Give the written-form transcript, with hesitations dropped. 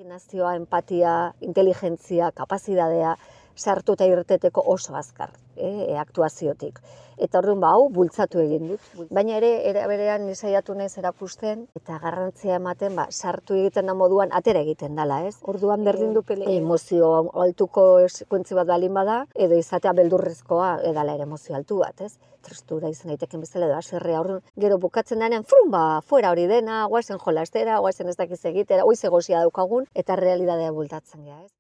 Imaginazioa, empatia, inteligentzia, kapazitatea sartuta irteteko oso azkar, aktuaziotik. Eta orduan hau bultzatu egin dut. Baina ere, era berean saiatu naiz erakusten eta garrantzia ematen sartu egiten da moduan atera egiten dela, ez? Orduan berdin du emozio altuko sekuentzi bat balin bada, edo izatea beldurrezkoa edala ere emozio altu bat, ez? Tristura izan daiteken bezala edo haserrea, orduan gero bukatzen denean, fuera hori dena, guazen jolastera, guazen ez dakiz egitera, hoiz egosia daukagun, eta realitatea bultatzen gea, ez?